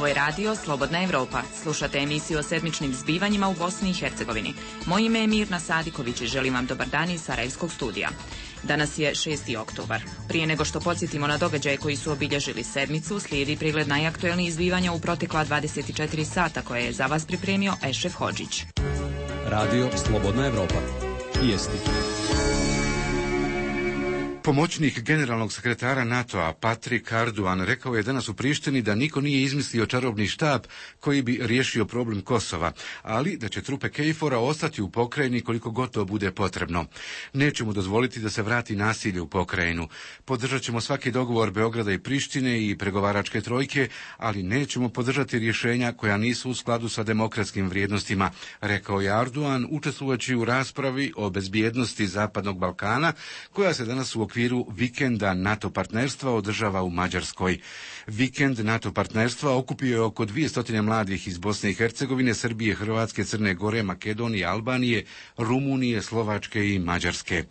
Ovo je radio Slobodna Evropa. Slušate emisiju o sedmičnim zbivanjima u Bosni i Hercegovini. Moje ime je Mirna Sadiković i želim vam dobar dan iz Sarajevskog studija. Danas je 6. oktobar. Prije nego što podsjetimo na događaje koji su obilježili sedmicu, slijedi pregled najaktuelnijih zbivanja u protekla 24 sata koje je za vas pripremio Ešref Hodžić. Radio Slobodna Evropa. Vijesti. Pomoćnik generalnog sekretara NATO-a Patrik Arduan rekao je danas u Prištini da niko nije izmislio čarobni štab koji bi riješio problem Kosova, ali da će trupe KFOR-a ostati u pokrajini koliko god to bude potrebno. Nećemo dozvoliti da se vrati nasilje u pokrajinu. Podržat ćemo svaki dogovor Beograda i Prištine i pregovaračke trojke, ali nećemo podržati rješenja koja nisu u skladu sa demokratskim vrijednostima, rekao je Arduan učestvujući u raspravi o bezbjednosti Zapadnog Balkana koja se danas u okviru vikenda NATO partnerstva održava u Mađarskoj. Vikend NATO partnerstva okupio je oko 200 mladih iz Bosne i Hercegovine, Srbije, Hrvatske, Crne Gore, Makedonije, Albanije, Rumunije, Slovačke i Mađarske.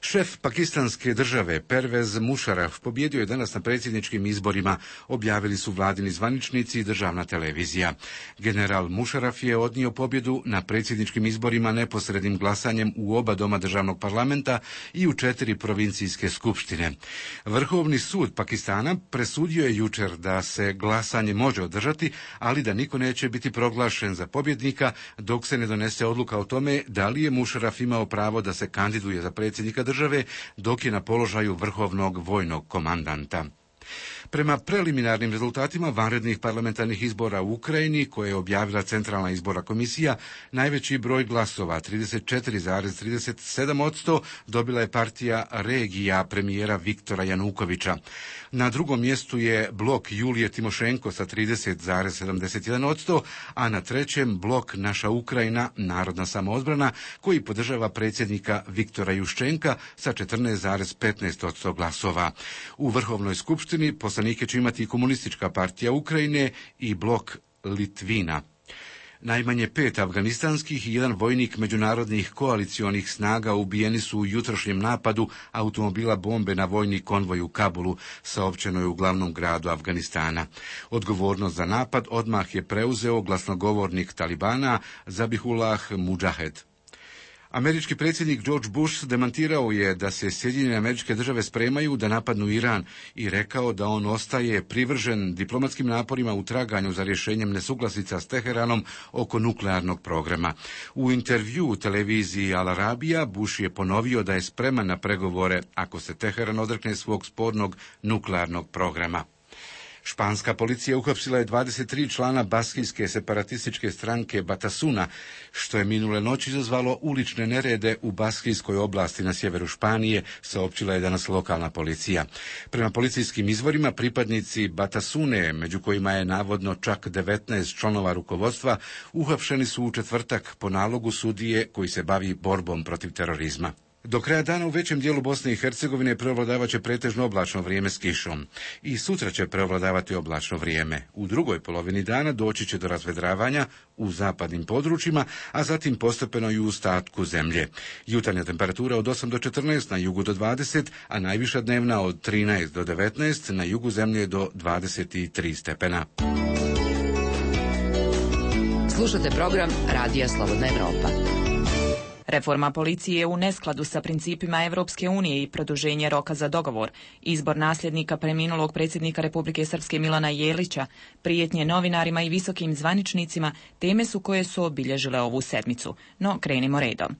Šef pakistanske države Pervez Musharraf pobjedio je danas na predsjedničkim izborima, objavili su vladini zvaničnici i državna televizija. General Musharraf je odnio pobjedu na predsjedničkim izborima neposrednim glasanjem u oba doma državnog parlamenta i u 4 provincijske skupštine. Vrhovni sud Pakistana presudio je jučer da se glasanje može održati, ali da niko neće biti proglašen za pobjednika dok se ne donese odluka o tome da li je Musharraf imao pravo da se kandiduje za predsjednika države dok je na položaju vrhovnog vojnog komandanta. Prema preliminarnim rezultatima vanrednih parlamentarnih izbora u Ukrajini, koje je objavila Centralna izborna komisija, najveći broj glasova, 34,37%, dobila je partija Regija premijera Viktora Janukovića. Na drugom mjestu je blok Julije Timošenko sa 30,71%, a na trećem blok Naša Ukrajina, narodna samoodbrana, koji podržava predsjednika Viktora Juščenka sa 14,15% glasova. U Vrhovnoj skupštini poslanike će imati i Komunistička partija Ukrajine i blok Litvina. Najmanje 5 afganistanskih i 1 vojnik međunarodnih koalicionih snaga ubijeni su u jutrošnjem napadu automobila bombe na vojni konvoj u Kabulu, saopćeno je u glavnom gradu Afganistana. Odgovornost za napad odmah je preuzeo glasnogovornik Talibana Zabihullah Mudžahed. Američki predsjednik George Bush demantirao je da se Sjedinjene Američke Države spremaju da napadnu Iran i rekao da on ostaje privržen diplomatskim naporima u traganju za rješenjem nesuglasica s Teheranom oko nuklearnog programa. U intervju u televiziji Al Arabija Bush je ponovio da je spreman na pregovore ako se Teheran odrekne svog spornog nuklearnog programa. Španska policija uhapsila je 23 člana baskijske separatističke stranke Batasuna, što je minule noći izazvalo ulične nerede u baskijskoj oblasti na sjeveru Španije, saopćila je danas lokalna policija. Prema policijskim izvorima, pripadnici Batasune, među kojima je navodno čak 19 članova rukovodstva, uhapšeni su u četvrtak po nalogu sudije koji se bavi borbom protiv terorizma. Do kraja dana u većem dijelu Bosne i Hercegovine prevladavaće pretežno oblačno vrijeme s kišom. I sutra će prevladavati oblačno vrijeme. U drugoj polovini dana doći će do razvedravanja u zapadnim područjima, a zatim postepeno i u ostatku zemlje. Jutarnja temperatura od 8 do 14, na jugu do 20, a najviša dnevna od 13 do 19, na jugu zemlje do 23 stepena. Slušate program Radija Slobodna Evropa. Reforma policije je u neskladu sa principima Evropske unije i produženje roka za dogovor, izbor nasljednika preminulog predsjednika Republike Srpske Milana Jelića, prijetnje novinarima i visokim zvaničnicima teme su koje su obilježile ovu sedmicu. No, krenimo redom.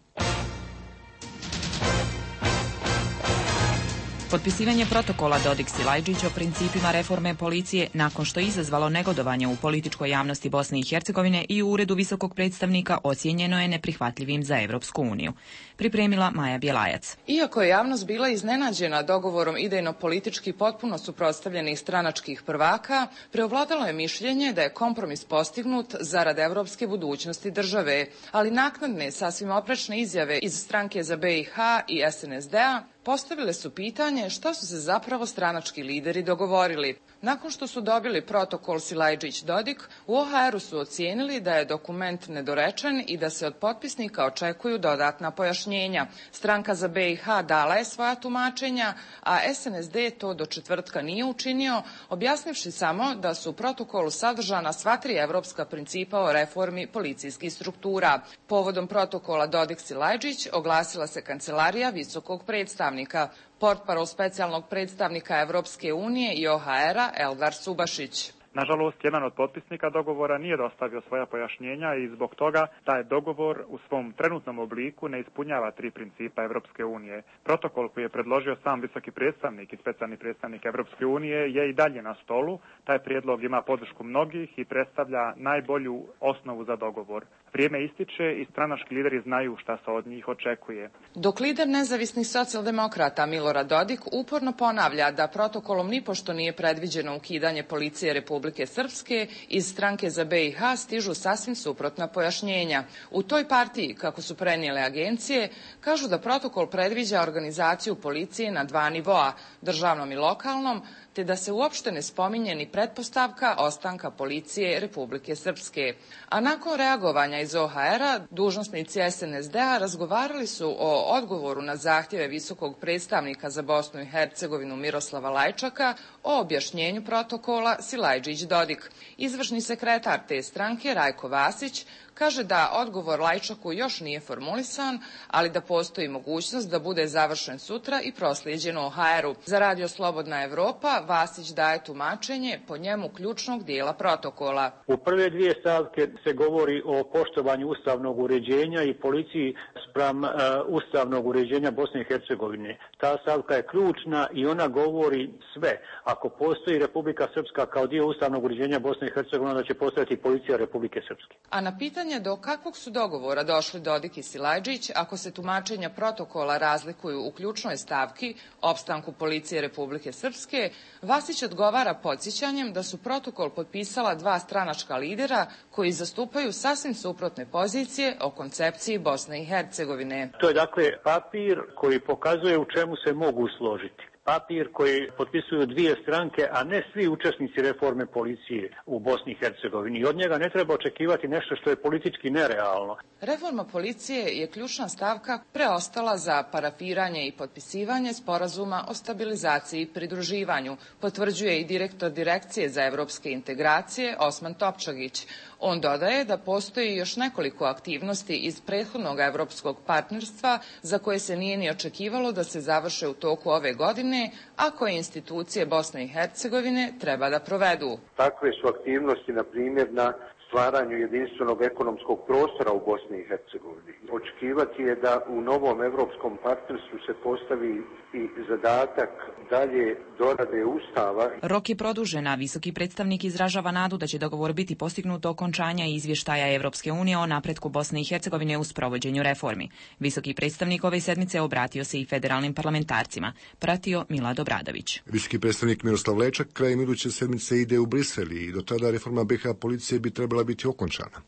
Potpisivanje protokola Dodik-Silajđić o principima reforme policije nakon što je izazvalo negodovanje u političkoj javnosti Bosne i Hercegovine i u Uredu visokog predstavnika ocijenjeno je neprihvatljivim za Evropsku uniju. Pripremila Maja Bjelajac. Iako je javnost bila iznenađena dogovorom idejno-politički potpuno suprotstavljenih stranačkih prvaka, preovladalo je mišljenje da je kompromis postignut zarad evropske budućnosti države, ali naknadne sasvim oprečne izjave iz stranke za BiH i SNSD-a postavile su pitanje šta su se zapravo stranački lideri dogovorili. Nakon što su dobili protokol Silajdžić-Dodik, u OHR-u su ocijenili da je dokument nedorečen i da se od potpisnika očekuju dodatna pojašnjenja. Stranka za BiH dala je svoja tumačenja, a SNSD to do četvrtka nije učinio, objasnivši samo da su u protokolu sadržana sva 3 evropska principa o reformi policijskih struktura. Povodom protokola Dodik-Silajdžić oglasila se kancelarija visokog predstavnika. Portparol specijalnog predstavnika Evropske unije i OHR-a Eldar Subašić. Nažalost, jedan od potpisnika dogovora nije dostavio svoja pojašnjenja i zbog toga taj dogovor u svom trenutnom obliku ne ispunjava 3 principa Evropske unije. Protokol koji je predložio sam visoki predstavnik i specijalni predstavnik Evropske unije je i dalje na stolu. Taj prijedlog ima podršku mnogih i predstavlja najbolju osnovu za dogovor. Vrijeme ističe i stranački lideri znaju šta se od njih očekuje. Dok lider nezavisnih socijaldemokrata Milorad Dodik uporno ponavlja da protokolom nipošto nije predviđeno ukidanje policije Republike Srpske, iz stranke za BiH stižu sasvim suprotna pojašnjenja. U toj partiji, kako su prenijele agencije, kažu da protokol predviđa organizaciju policije na 2 nivoa, državnom i lokalnom, te da se uopšte ne spominje ni pretpostavka ostanka policije Republike Srpske. A nakon reagovanja iz OHR-a, dužnosnici SNSD-a razgovarali su o odgovoru na zahtjeve visokog predstavnika za Bosnu i Hercegovinu Miroslava Lajčaka o objašnjenju protokola Silajdžić-Dodik. Izvršni sekretar te stranke Rajko Vasić kaže da odgovor Lajčaku još nije formulisan, ali da postoji mogućnost da bude završen sutra i proslijeđen OHR-u. Za Radio Slobodna Evropa Vasić daje tumačenje po njemu ključnog dijela protokola. U prve 2 stavke se govori o poštovanju ustavnog uređenja i policiji spram ustavnog uređenja Bosne i Hercegovine. Ta stavka je ključna i ona govori sve. Ako postoji Republika Srpska kao dio ustavnog uređenja Bosne i Hercegovine, onda će postojati policija Republike Srpske. A na pitanje do kakvog su dogovora došli Dodik i Silajdžić, ako se tumačenja protokola razlikuju u ključnoj stavki, opstanku policije Republike Srpske, Vasić odgovara podsjećanjem da su protokol potpisala 2 stranačka lidera koji zastupaju sasvim suprotne pozicije o koncepciji Bosne i Hercegovine. To je dakle papir koji pokazuje u čemu se mogu složiti. Papir koji potpisuju 2 stranke, a ne svi učesnici reforme policije u Bosni i Hercegovini. I od njega ne treba očekivati nešto što je politički nerealno. Reforma policije je ključna stavka preostala za parafiranje i potpisivanje sporazuma o stabilizaciji i pridruživanju, potvrđuje i direktor Direkcije za evropske integracije Osman Topčagić. On dodaje da postoji još nekoliko aktivnosti iz prethodnog evropskog partnerstva za koje se nije ni očekivalo da se završe u toku ove godine, a koje institucije Bosne i Hercegovine treba da provedu. Takve su aktivnosti, na primjer, na stvaranju jedinstvenog ekonomskog prostora u Bosni i Hercegovini. Očekivati je da u novom evropskom partnerstvu se postavi i zadatak dalje dorade Ustava. Rok je produžen, a visoki predstavnik izražava nadu da će dogovor biti postignut do okončanja izvještaja Evropske unije o napretku Bosne i Hercegovine u sprovođenju reformi. Visoki predstavnik ove sedmice obratio se i federalnim parlamentarcima. Pratio Milad Obradović. Visoki predstavnik Miroslav Lečak krajem iduće sedmice ide u Brisel i do tada reforma BiH policije bi trebala biti okončana.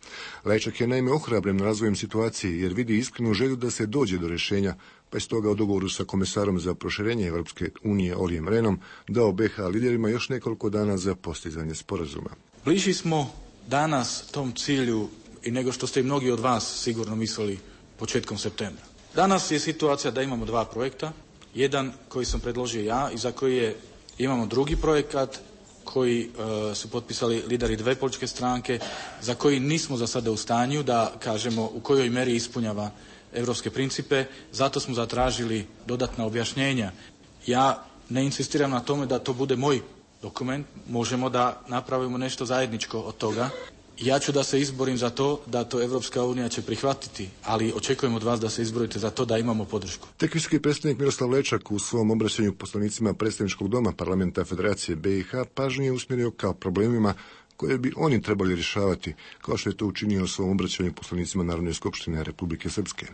Lečak je naime ohrabren razvojem situacije jer vidi iskrenu želju da se dođe do rješenja, pa je stoga u dogovoru sa komesarom za proširenje Evropske unije Olijem Renom dao BiH liderima još nekoliko dana za postizanje sporazuma. Bliži smo danas tom cilju i nego što ste i mnogi od vas sigurno mislili početkom septembra. Danas je situacija da imamo 2 projekta, jedan koji sam predložio ja i za koji imamo drugi projekat koji su potpisali lideri 2 političke stranke, za koji nismo za sada u stanju da kažemo u kojoj meri ispunjava evropske principe, zato smo zatražili dodatna objašnjenja. Ja ne insistiram na tome da to bude moj dokument, možemo da napravimo nešto zajedničko od toga. Ja ću da se izborim za to, da to Evropska unija će prihvatiti, ali očekujem od vas da se izborite za to da imamo podršku. Tek visoki predstavnik Miroslav Lečak u svom obraćanju poslanicima predstavničkog doma Parlamenta Federacije BiH pažnju je usmjerio kao problemima koje bi oni trebali rješavati, kao što je to učinio u svom obraćanju poslanicima Narodne skupštine Republike Srpske.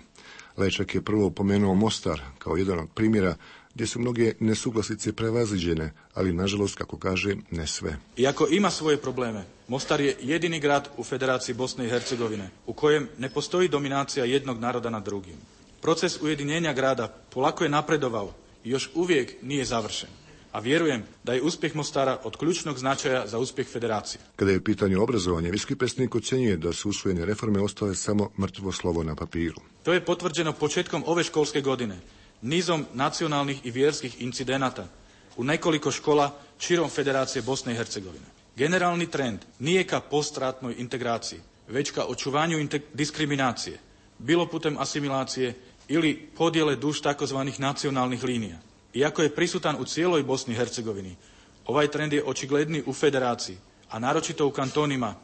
Lečak je prvo upomenuo Mostar kao jedan od primjera gdje su mnoge nesuglasice prevaziđene, ali nažalost, kako kaže, ne sve. Iako ima svoje probleme, Mostar je jedini grad u Federaciji Bosne i Hercegovine u kojem ne postoji dominacija jednog naroda nad drugim. Proces ujedinjenja grada polako je napredovao još uvijek nije završen, a vjerujem da je uspjeh Mostara od ključnog značaja za uspjeh federacije. Kada je u pitanju obrazovanja, visoki predstavnik ocjenjuje da su usvojene reforme ostale samo mrtvo slovo na papiru. To je potvrđeno početkom ove školske godine, nizom nacionalnih i vjerskih incidenata u nekoliko škola širom Federacije Bosne i Hercegovine. Generalni trend nije ka postratnoj integraciji, već ka očuvanju diskriminacije, bilo putem asimilacije ili podjele duž takozvanih nacionalnih linija. Iako je prisutan u cijeloj Bosni i Hercegovini, ovaj trend je očigledniji u Federaciji, a naročito u kantonima,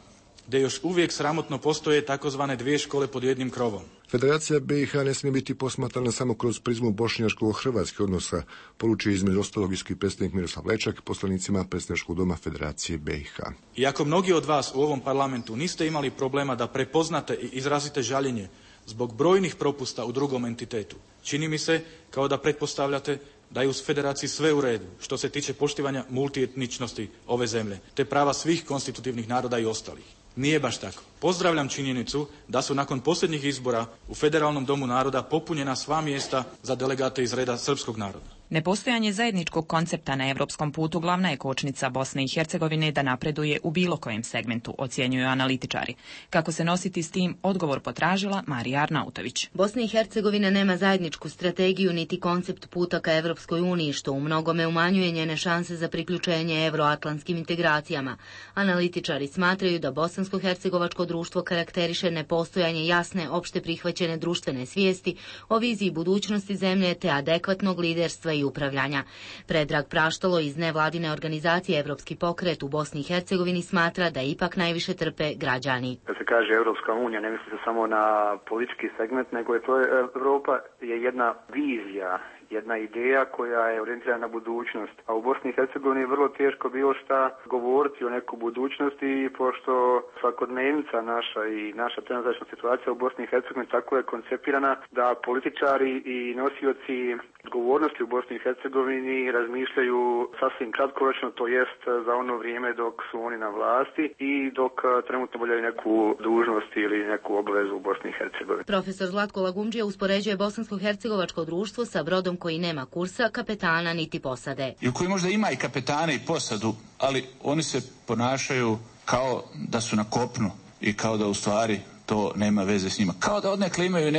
gdje još uvijek sramotno postoje takozvane dvije škole pod jednim krovom. Federacija BiH ne smije biti posmatrana samo kroz prizmu bošnjačko-hrvatskih odnosa, poručuje između ostalog visoki predstavnik Miroslav Lečak poslanicima predstavničkog doma Federacije BiH. Iako mnogi od vas u ovom parlamentu niste imali problema da prepoznate i izrazite žaljenje zbog brojnih propusta u drugom entitetu, čini mi se kao da pretpostavljate da je u Federaciji sve u redu što se tiče poštivanja multietničnosti ove zemlje, te prava svih konstitutivnih naroda i ostalih. Nije baš tako. Pozdravljam činjenicu da su nakon posljednjih izbora u Federalnom domu naroda popunjena sva mjesta za delegate iz reda srpskog naroda. Nepostojanje zajedničkog koncepta na europskom putu glavna je kočnica Bosne i Hercegovine da napreduje u bilo kojem segmentu, ocjenjuju analitičari. Kako se nositi s tim, odgovor potražila Marija Arnautović. Bosna i Hercegovina nema zajedničku strategiju niti koncept puta ka Evropskoj uniji, što u mnogome umanjuje njene šanse za priključenje euroatlantskim integracijama. Analitičari smatraju da bosansko-hercegovačko društvo karakteriše nepostojanje jasne, opšte prihvaćene društvene svijesti o viziji budućnosti zemlje te adekvatnog liderstva i upravljanja. Predrag Praštalo iz nevladine organizacije Evropski pokret u Bosni i Hercegovini smatra da ipak najviše trpe građani. Kad se kaže Evropska unija, ne misli se samo na politički segment, nego je to Europa je jedna vizija, jedna ideja koja je orijentirana na budućnost. A u Bosni i Hercegovini je vrlo teško bilo šta govoriti o nekoj budućnosti, pošto svakodnevnica naša i naša trenutačna situacija u Bosni i Hercegovini tako je koncipirana da političari i nosioci odgovornosti u Bosni i Hercegovini razmišljaju sasvim kratkoročno, to jest za ono vrijeme dok su oni na vlasti i dok trenutno obavljaju neku dužnost ili neku obavezu u Bosni i Hercegovini. Profesor Zlatko Lagumdžija uspoređuje bosansko-hercegovačko društvo sa brodom koji nema kursa, kapetana niti posade. I koji možda ima i kapetane i posadu, ali oni se ponašaju kao da su na kopnu i kao da u stvari to nema veze s njima. Kao da odnekle imaju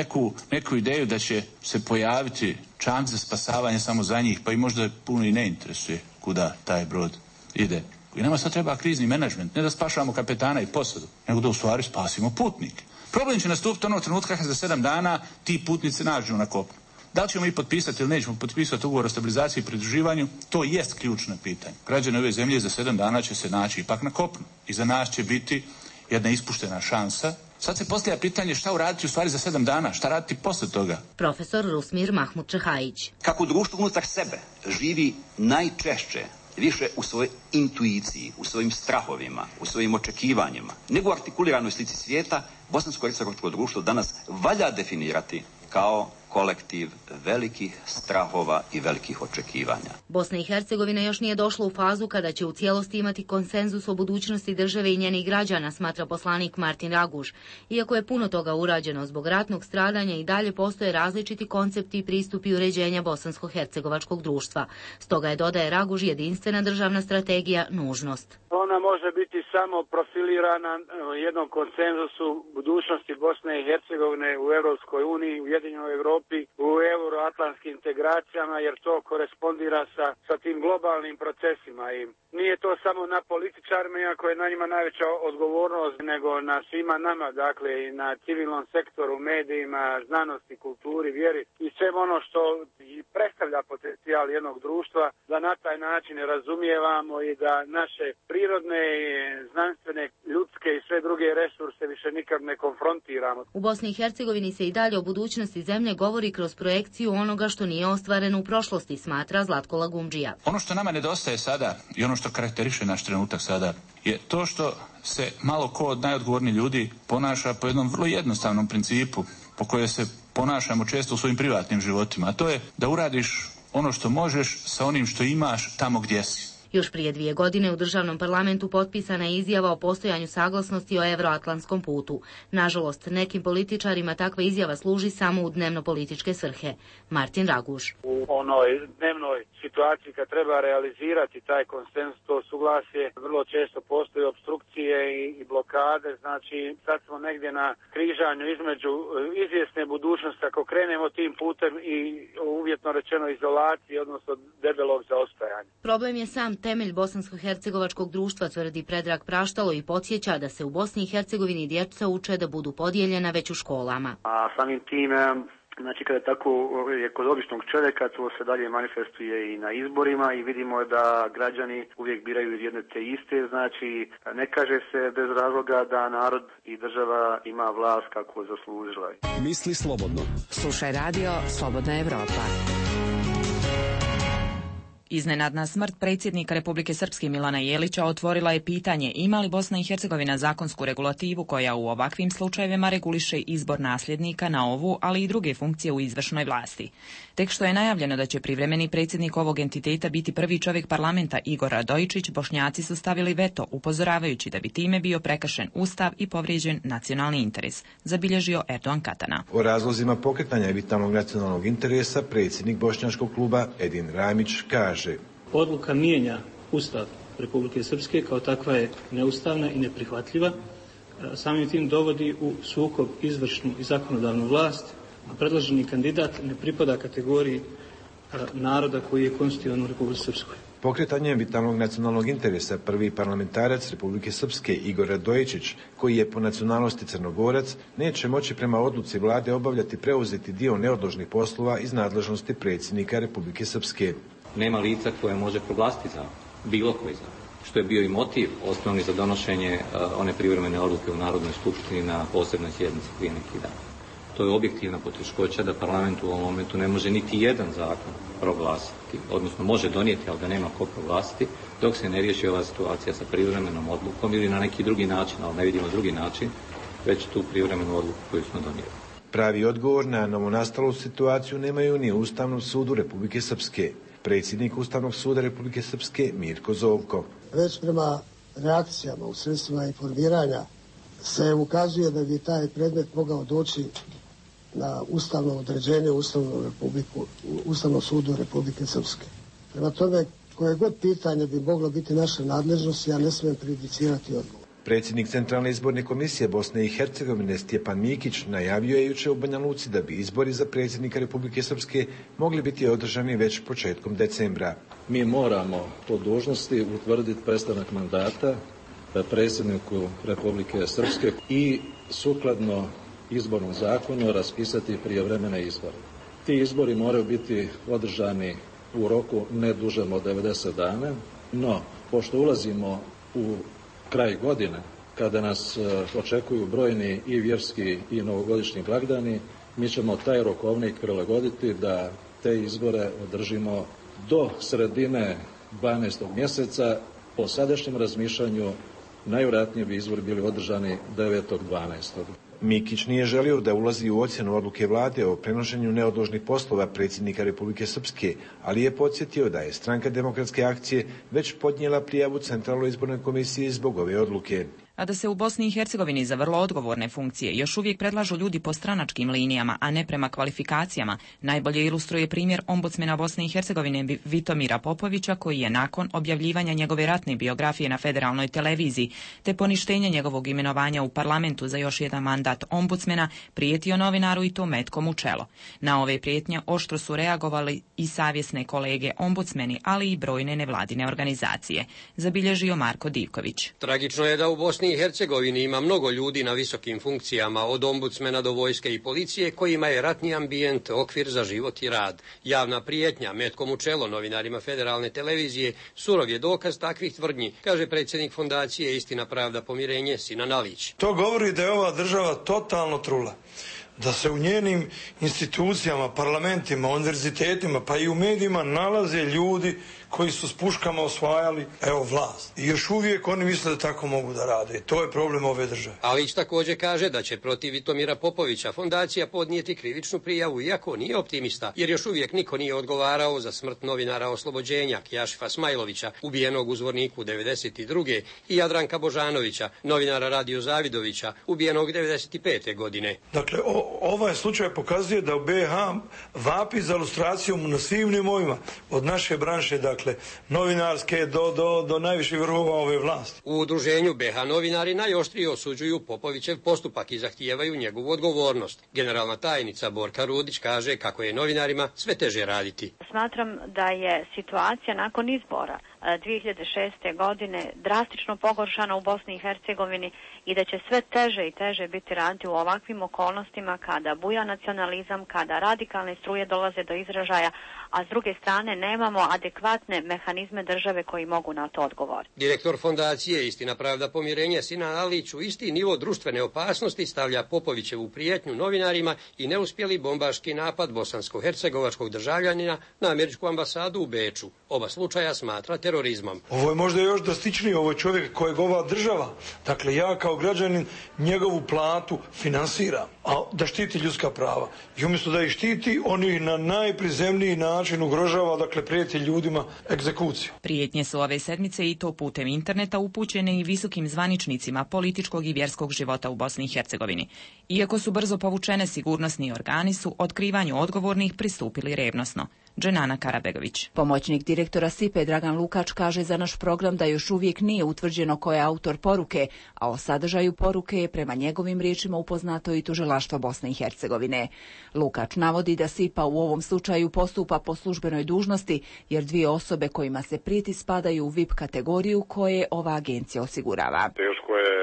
neku ideju da će se pojaviti čamci za spasavanje samo za njih, pa i možda puno i ne interesuje kuda taj brod ide. I nama sad treba krizni menadžment, ne da spašavamo kapetana i posadu, nego da u stvari spasimo putnike. Problem će nastupiti onog trenutka kad za 7 dana ti putnici nađu na kopnu. Da li ćemo mi potpisati ili nećemo potpisati ugovor o stabilizaciji i pridruživanju, to jest ključno pitanje. Građani ove zemlje za 7 dana će se naći ipak na kopnu. I za nas će biti jedna ispuštena šansa. Sad se postavlja pitanje šta uraditi u stvari za 7 dana, šta raditi poslije toga. Profesor Rusmir Mahmud Čehajić. Kako društvo unutar sebe živi najčešće više u svojoj intuiciji, u svojim strahovima, u svojim očekivanjima, nego u artikuliranoj slici svijeta, bosansko-hercegovačko društvo danas valja definirati kao kolektiv velikih strahova i velikih očekivanja. Bosna i Hercegovina još nije došla u fazu kada će u cijelosti imati konsenzus o budućnosti države i njenih građana, smatra poslanik Martin Raguž. Iako je puno toga urađeno zbog ratnog stradanja, i dalje postoje različiti koncepti i pristupi uređenja bosansko-hercegovačkog društva. Stoga je, dodaje Raguž, jedinstvena državna strategija nužnost. Ona može biti samo profilirana jednom konsenzusu budućnosti Bosne i Hercegovine u Europskoj uniji, u Ujedinjenoj Europi, u euroatlantskim integracijama, jer to korespondira sa tim globalnim procesima. I nije to samo na političarima, iako je na njima najveća odgovornost, nego na svima nama, dakle i na civilnom sektoru, medijima, znanosti, kulturi, vjeri i sve ono što predstavlja potencijal jednog društva, da na taj način razumijevamo i da naše prirodne, znanstvene, ljudske i sve druge resurse više nikad ne konfrontiramo. U Bosni i Hercegovini se i dalje o budućnosti zemlje govori kroz projekciju onoga što nije ostvareno u prošlosti, smatra Zlatko Lagumdžija. Ono što nama nedostaje sada i ono što karakteriše naš trenutak sada je to što se malo ko od najodgovornijih ljudi ponaša po jednom vrlo jednostavnom principu po kojem se ponašamo često u svojim privatnim životima, a to je da uradiš ono što možeš sa onim što imaš tamo gdje si. Još prije 2 godine u državnom parlamentu potpisana je izjava o postojanju saglasnosti o euroatlantskom putu. Nažalost, nekim političarima takva izjava služi samo u dnevno-političke svrhe. Martin Raguž. U onoj dnevnoj situaciji kad treba realizirati taj konsenzus, to suglasje, vrlo često postoje opstrukcije i blokade, znači sad smo negdje na križanju između izvjesne budućnosti ako krenemo tim putem i uvjetno rečeno izolacije, odnosno debelog zaostajanja. Problem je sam temelj bosansko-hercegovačkog društva, tvrdi Predrag Praštalo i podsjeća da se u Bosni i Hercegovini djeca uče da budu podijeljena već u školama. A samim tim, znači kada tako je kod običnog čovjeka, to se dalje manifestuje i na izborima i vidimo da građani uvijek biraju jedne te iste, znači ne kaže se bez razloga da narod i država ima vlast kako zaslužila. Misli slobodno. Slušaj radio Slobodna Evropa. Iznenadna smrt predsjednika Republike Srpske Milana Jelića otvorila je pitanje ima li Bosna i Hercegovina zakonsku regulativu koja u ovakvim slučajevima reguliše izbor nasljednika na ovu, ali i druge funkcije u izvršnoj vlasti. Tek što je najavljeno da će privremeni predsjednik ovog entiteta biti prvi čovjek parlamenta Igor Radojičić, Bošnjaci su stavili veto, upozoravajući da bi time bio prekršen ustav i povrijeđen nacionalni interes, zabilježio Erdogan Katana. O razlozima pokretanja vitalnog nacionalnog interesa predsjednik bošnjačkog kluba Edin Ramić kaže: Odluka mijenja Ustav Republike Srpske, kao takva je neustavna i neprihvatljiva. Samim tim dovodi u sukob izvršnu i zakonodavnu vlast, a predloženi kandidat ne pripada kategoriji naroda koji je konstitutivan u Republike Srpskoj. Pokretanjem vitalnog nacionalnog interesa prvi parlamentarac Republike Srpske Igor Radojičić, koji je po nacionalnosti Crnogorac, neće moći prema odluci vlade obavljati preuzeti dio neodložnih poslova iz nadležnosti predsjednika Republike Srpske. Nema lica koje može proglasiti za bilo koji zakon, što je bio i motiv osnovni za donošenje one privremene odluke u Narodnoj skupštini na posebnoj sjednici prije neki dan. To je objektivna poteškoća da parlament u ovom momentu ne može niti jedan zakon proglasiti, odnosno može donijeti, ali ga nema ko proglasiti, dok se ne riješi ova situacija sa privremenom odlukom ili na neki drugi način, ali ne vidimo drugi način, već tu privremenu odluku koju smo donijeli. Pravi odgovor na novonastalu situaciju nemaju ni u Ustavnom sudu Republike Srpske. Predsjednik Ustavnog suda Republike Srpske Mirko Zovko. Već prema reakcijama u sredstvima informiranja se ukazuje da bi taj predmet mogao doći na ustavno određenje Ustavnom sudu Republike Srpske. Prema tome, koje god pitanje bi moglo biti naša nadležnost, ja ne smijem prejudicirati odgovor. Predsjednik Centralne izborne komisije Bosne i Hercegovine Stjepan Mikić najavio je jučer u Banja Luci da bi izbori za predsjednika Republike Srpske mogli biti održani već početkom decembra. Mi moramo po dužnosti utvrditi prestanak mandata predsjedniku Republike Srpske i sukladno izbornom zakonu raspisati prijevremene izbore. Ti izbori moraju biti održani u roku ne dužem od 90 dana, no pošto ulazimo u kraj godine, kada nas očekuju brojni i vjerski i novogodišnji blagdani, mi ćemo taj rokovnik prilagoditi da te izbore održimo do sredine 12. mjeseca. Po sadašnjem razmišljanju najvjerojatnije bi izbori bili održani 9.12. Mikić nije želio da ulazi u ocjenu odluke vlade o prenošenju neodložnih poslova predsjednika Republike Srpske, ali je podsjetio da je Stranka demokratske akcije već podnijela prijavu Centralnoj izbornoj komisiji zbog ove odluke. A da se u Bosni i Hercegovini za vrlo odgovorne funkcije još uvijek predlažu ljudi po stranačkim linijama, a ne prema kvalifikacijama, najbolje ilustruje primjer ombudsmena Bosne i Hercegovine Vitomira Popovića, koji je nakon objavljivanja njegove ratne biografije na federalnoj televiziji, te poništenja njegovog imenovanja u parlamentu za još jedan mandat ombudsmena, prijetio novinaru i to metkom u čelo. Na ove prijetnje oštro su reagovali i savjesne kolege ombudsmeni, ali i brojne nevladine organizacije, zabilježio Marko Divković. Tragično je da u Bosni i Hercegovini ima mnogo ljudi na visokim funkcijama, od ombudsmena do vojske i policije, kojima je ratni ambijent okvir za život i rad. Javna prijetnja metkom u čelo novinarima federalne televizije surov je dokaz takvih tvrdnji, kaže predsjednik fondacije Istina, pravda, pomirenje Sinan Alić. To govori da je ova država totalno trula, da se u njenim institucijama, parlamentima, univerzitetima pa i u medijima nalaze ljudi koji su s puškama osvajali vlast. I još uvijek oni misle da tako mogu da rade. To je problem ove države. Alić također kaže da će protiv Vitomira Popovića fondacija podnijeti krivičnu prijavu, iako nije optimista, jer još uvijek niko nije odgovarao za smrt novinara Oslobođenja Kjašifa Smajlovića, ubijenog u Zvorniku 1992. i Jadranka Božanovića, novinara Radio Zavidovića, ubijenog 1995. godine. Dakle, ovaj slučaj pokazuje da u BiH vapi za ilustracijom na svim nivoima, od naše branše, dakle, novinarske do najviših vrhova ove vlasti. U udruženju BiH novinari najoštrije osuđuju Popovićev postupak i zahtijevaju njegovu odgovornost. Generalna tajnica Borka Rudić kaže kako je novinarima sve teže raditi. Smatram da je situacija nakon izbora 2006. godine drastično pogoršana u Bosni i Hercegovini i da će sve teže i teže biti raditi u ovakvim okolnostima kada buja nacionalizam, kada radikalne struje dolaze do izražaja, a s druge strane nemamo adekvatne mehanizme države koji mogu na to odgovoriti. Direktor fondacije Istina, pravda, pomirenje Sinan Alić u isti nivo društvene opasnosti stavlja Popovićevu prijetnju novinarima i neuspjeli bombaški napad bosansko-hercegovačkog državljanina na američku ambasadu u Beču. Oba slučaja smatra terorizmom. Ovo je možda još drastičniji, ovo je čovjek kojeg ova država, dakle ja kao građanin njegovu platu finansiram, a da štiti ljudska prava. I umjesto da ih štiti, oni na najprizemniji način ugrožava, dakle prijeti ljudima egzekuciju. Prijetnje su ove sedmice i to putem interneta upućene i visokim zvaničnicima političkog i vjerskog života u Bosni i Hercegovini. Iako su brzo povučene, sigurnosni organi su otkrivanju odgovornih pristupili revnosno. Dženana Karabegović. Pomoćnik direktora SIPE Dragan Lukač kaže za naš program da još uvijek nije utvrđeno ko je autor poruke, a o sadržaju poruke je prema njegovim riječima upoznato i tužilaštvo Bosne i Hercegovine. Lukač navodi da SIPA u ovom slučaju postupa po službenoj dužnosti, jer dvije osobe kojima se prijeti spadaju u VIP kategoriju koje ova agencija osigurava. Teško je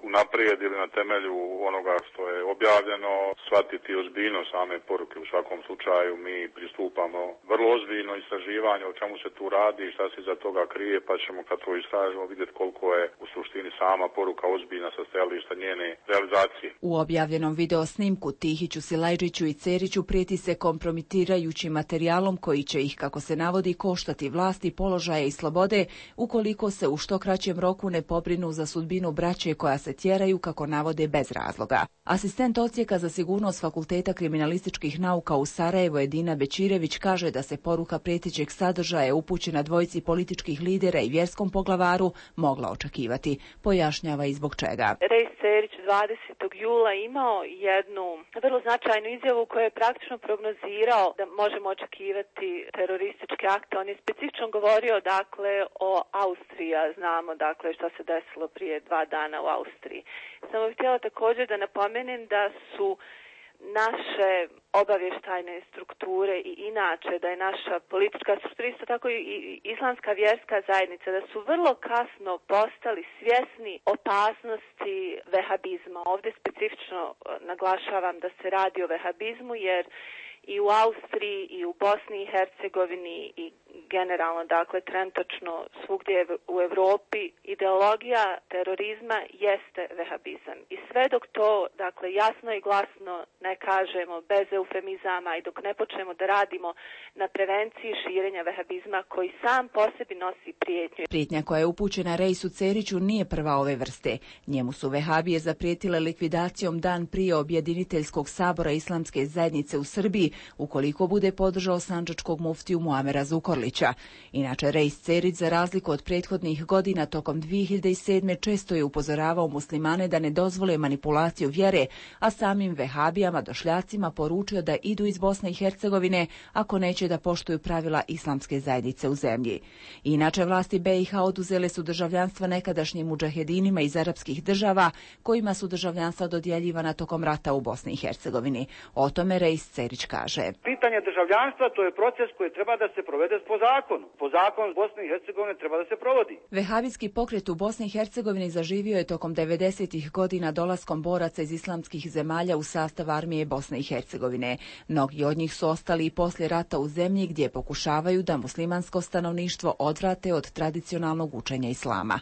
unaprijed ili na temelju onoga što je objavljeno shvatiti ozbiljnost same poruke. U svakom slučaju mi pristupamo vrlo ozbiljno istraživanje o čemu se tu radi i šta se iza toga krije, pa ćemo kad to istražimo vidjeti koliko je u suštini sama poruka ozbiljna sa stajališta njene realizacije. U objavljenom video snimku Tihiću, Silajđiću i Ceriću prijeti se kompromitirajućim materijalom koji će ih, kako se navodi, koštati vlasti, položaje i slobode ukoliko se u što kraćem roku ne pobrinu za sudbinu braće koja se tjeraju, kako navode, bez razloga. Asistent odsjeka za sigurnost Fakulteta kriminalističkih nauka u Sarajevu Edina Bečirević kaže da se poruka prijetećeg sadržaja upućena dvojici političkih lidera i vjerskom poglavaru mogla očekivati. Pojašnjava i zbog čega. Rejs Cerić 20. jula imao jednu vrlo značajnu izjavu koja je praktično prognozirao da možemo očekivati terorističke akte. On je specifično govorio o Austriji, a znamo šta se desilo prije 2 dana u Austriji. Samo bih htjela također da napomenem da su naše obavještajne strukture i inače da je naša politička struktura, isto tako i islamska vjerska zajednica, da su vrlo kasno postali svjesni opasnosti vehabizma. Ovdje specifično naglašavam da se radi o vehabizmu jer i u Austriji i u Bosni i Hercegovini i generalno, trenutačno svugdje u Europi ideologija terorizma jeste vehabizam. I sve dok to, jasno i glasno ne kažemo bez eufemizama i dok ne počnemo da radimo na prevenciji širenja vehabizma koji sam po sebi nosi prijetnju. Prijetnja koja je upućena Rejsu Ceriću nije prva ove vrste. Njemu su vehabije zaprijetile likvidacijom dan prije objediniteljskog sabora Islamske zajednice u Srbiji ukoliko bude podržao sandžačkog muftiju Muamera Zukorlića. Inače, Rejs Cerić, za razliku od prethodnih godina, tokom 2007. često je upozoravao muslimane da ne dozvole manipulaciju vjere, a samim vehabijama, došljacima poručio da idu iz Bosne i Hercegovine ako neće da poštuju pravila Islamske zajednice u zemlji. Inače, vlasti BiH oduzele su državljanstva nekadašnjim mudžahedinima iz arapskih država, kojima su državljanstva dodjeljivana tokom rata u Bosni i Hercegovini. O tome Rejs Cerić kaže. Pitanje državljanstva to je proces koji treba da se provede po zakonu. Po zakonu Bosne i Hercegovine treba da se provodi. Vehabijski pokret u Bosni i Hercegovini zaživio je tokom 90-ih godina dolaskom boraca iz islamskih zemalja u sastav armije Bosne i Hercegovine. Mnogi od njih su ostali i poslije rata u zemlji gdje pokušavaju da muslimansko stanovništvo odvrate od tradicionalnog učenja islama.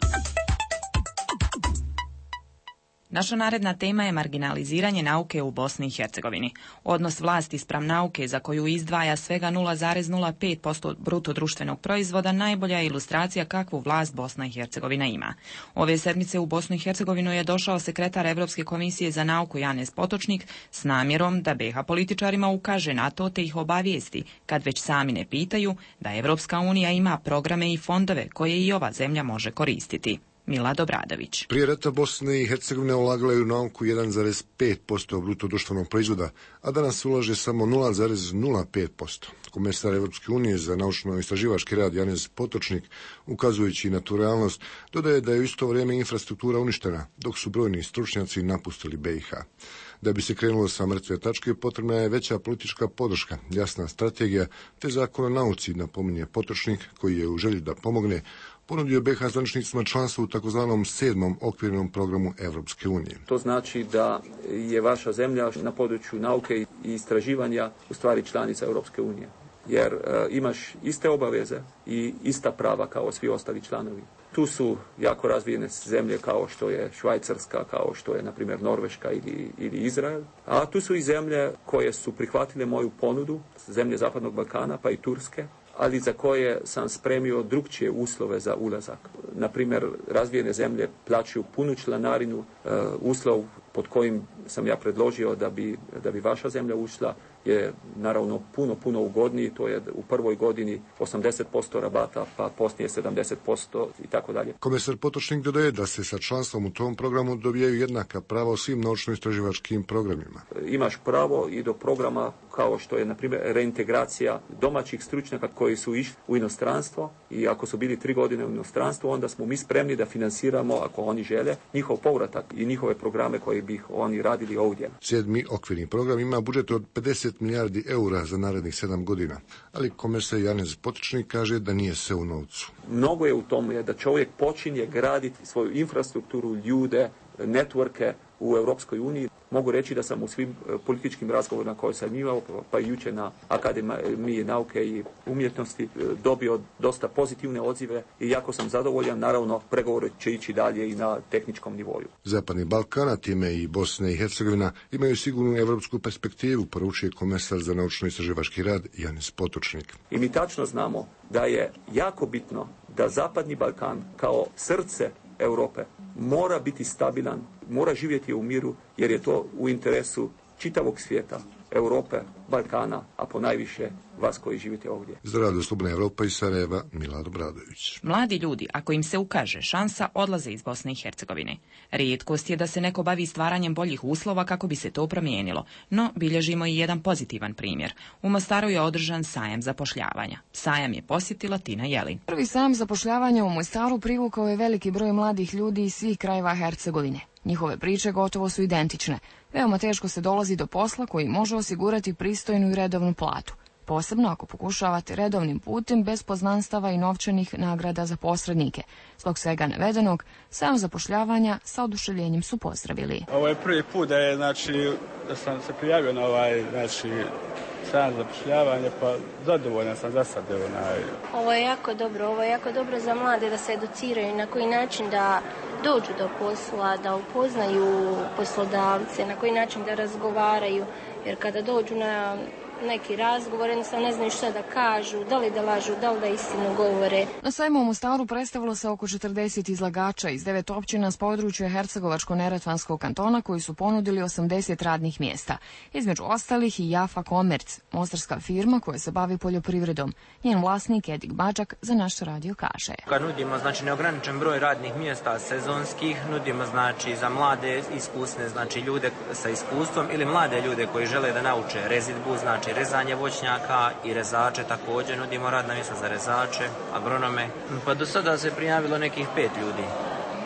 Naša naredna tema je marginaliziranje nauke u Bosni i Hercegovini. Odnos vlasti spram nauke za koju izdvaja svega 0,05% bruto društvenog proizvoda najbolja je ilustracija kakvu vlast Bosna i Hercegovina ima. Ove sedmice u Bosnu i Hercegovinu je došao sekretar Evropske komisije za nauku Janez Potočnik s namjerom da BiH političarima ukaže na to te ih obavijesti, kad već sami ne pitaju, da Evropska unija ima programe i fondove koje i ova zemlja može koristiti. Milad Obradović. Prije rata Bosne i Hercegovine ulagala je u nauku 1,5% bruto društvenog proizvoda, a danas ulaže samo 0,05%. Komesar Evropske unije za naučno-istraživački rad Janez Potočnik, ukazujući na tu realnost, dodaje da je u isto vrijeme infrastruktura uništena, dok su brojni stručnjaci napustili BiH. Da bi se krenulo sa mrtve tačke, potrebna je veća politička podrška, jasna strategija te zakon o nauci, napominje Potočnik, koji je u želji da pomogne ponudio BiH zvaničnicima članstvo u takozvanom 7. okvirnom programu Evropske unije. To znači da je vaša zemlja na području nauke i istraživanja u stvari članica Europske unije. Jer imaš iste obaveze i ista prava kao svi ostali članovi. Tu su jako razvijene zemlje kao što je Švajcarska, kao što je, na primjer, Norveška ili Izrael. A tu su i zemlje koje su prihvatile moju ponudu, zemlje Zapadnog Balkana, pa i Turske, ali za koje sam spremio drukčije uslove za ulazak. Na primjer, razvijene zemlje plaćaju punu članarinu, uslov pod kojim sam ja predložio da bi vaša zemlja ušla je naravno puno ugodniji, to je u prvoj godini 80% rabata, pa poslije 70% i tako dalje. Komesar Potočnik dodaje da se sa članstvom u tom programu dobijaju jednaka prava u svim naučno-istraživačkim programima. Imaš pravo i do programa kao što je, na primjer, reintegracija domaćih stručnjaka koji su išli u inostranstvo i ako su bili 3 godine u inostranstvu, onda smo mi spremni da finansiramo, ako oni žele, njihov povratak i njihove programe koji bi oni radili ovdje. 7. okvirni program ima budžet od 50 milijardi eura za narednih 7 godina, ali komesar Janez Potočnik kaže da nije sve u novcu. Mnogo je u tome da čovjek počinje graditi svoju infrastrukturu, ljude, networke u Europskoj uniji. Mogu reći da sam u svim političkim razgovorima koje sam imao, pa i jučer na Akademiji nauke i umjetnosti, dobio dosta pozitivne odzive i jako sam zadovoljan. Naravno, pregovori će ići dalje i na tehničkom nivoju. Zapadni Balkan, a time i Bosna i Hercegovina, imaju sigurnu evropsku perspektivu, poručuje komesar za naučno-istraživački rad Janez Potočnik. I mi tačno znamo da je jako bitno da Zapadni Balkan kao srce Europe mora biti stabilan, mora živjeti u miru, jer je to u interesu čitavog svijeta, Europe, Balkana, a ponajviše vas koji živite ovdje. Za Radio Slobodna Evropa iz Sarajeva, Milad Obradović. Mladi ljudi, ako im se ukaže šansa, odlaze iz Bosne i Hercegovine. Rijetkost je da se neko bavi stvaranjem boljih uslova kako bi se to promijenilo, no bilježimo i jedan pozitivan primjer. U Mostaru je održan sajam zapošljavanja. Sajam je posjetila Tina Jelin. Prvi sajam zapošljavanja u Mostaru privukao je veliki broj mladih ljudi iz svih krajeva Hercegovine. Njihove priče gotovo su identične. Veoma teško se dolazi do posla koji može osigurati pristojnu i redovnu platu. Posebno ako pokušavate redovnim putem bez poznanstava i novčanih nagrada za posrednike. Zbog svega navedenog, sajam zapošljavanja sa oduševljenjem su pozdravili. Ovo je prvi put da sam se prijavio na sajam zapošljavanja, pa zadovoljan sam za sad. Ovo je jako dobro za mlade da se educiraju na koji način da dođu do posla, da upoznaju poslodavce, na koji način da razgovaraju, jer kada dođu na neki razgovor, jednostavno ne znaju šta da kažu, da li da lažu, da li da istinu govore. Na sajmu u Mostaru predstavilo se oko 40 izlagača iz 9 općina s područja Hercegovačko-Neretvanskog kantona koji su ponudili 80 radnih mjesta. Između ostalih i Jafa Komerc, mostarska firma koja se bavi poljoprivredom. Njen vlasnik Edik Bađak za naš radio kaže. Kad nudimo neograničen broj radnih mjesta sezonskih, nudimo za mlade iskusne, ljude sa iskustvom ili mlade ljude koji žele da nauče rezidbu, rezanje voćnjaka i rezače, također nudimo radna mjesta za rezače, agronome. Pa do sada se prijavilo nekih 5 ljudi.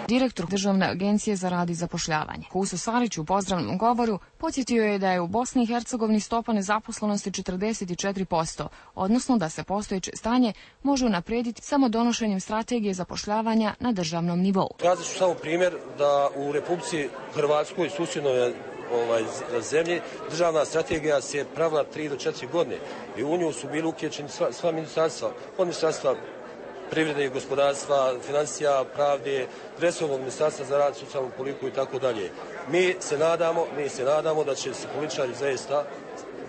Direktor Državne agencije za rad i zapošljavanje Huso Sarić u pozdravnom govoru podsjetio je da je u Bosni i Hercegovini stopa nezaposlenosti 44%, odnosno da se postojeće stanje može unaprijediti samo donošenjem strategije zapošljavanja na državnom nivou. Kazat ću samo primjer da u Republici Hrvatskoj, susjednoj zemlji, državna strategija se pravila 3 do 4 godine i u nju su bili uključeni sva ministarstva, od ministarstva privrede i gospodarstva, financija, pravde, resornog ministarstva za rad, socijalnu politiku i tako dalje. Mi se nadamo da će se političari zaista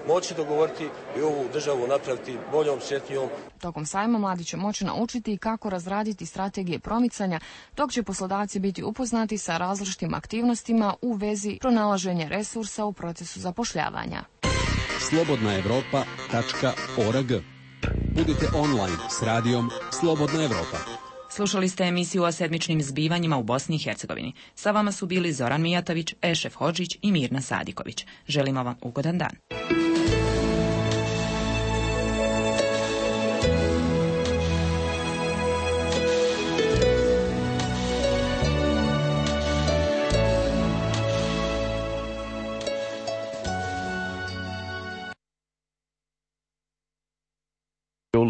moći dogovoriti i ovu državu napraviti boljom, sretnijom. Tokom sajma mladi će moći naučiti kako razraditi strategije promicanja, dok će poslodavci biti upoznati sa različitim aktivnostima u vezi pronalaženja resursa u procesu zapošljavanja. slobodnaevropa.org. Budite online s radijom Slobodna Evropa. Slušali ste emisiju o sedmičnim zbivanjima u Bosni i Hercegovini. Sa vama su bili Zoran Mijatović, Ešef Hodžić i Mirna Sadiković. Želimo vam ugodan dan.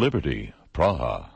Liberty, Praha.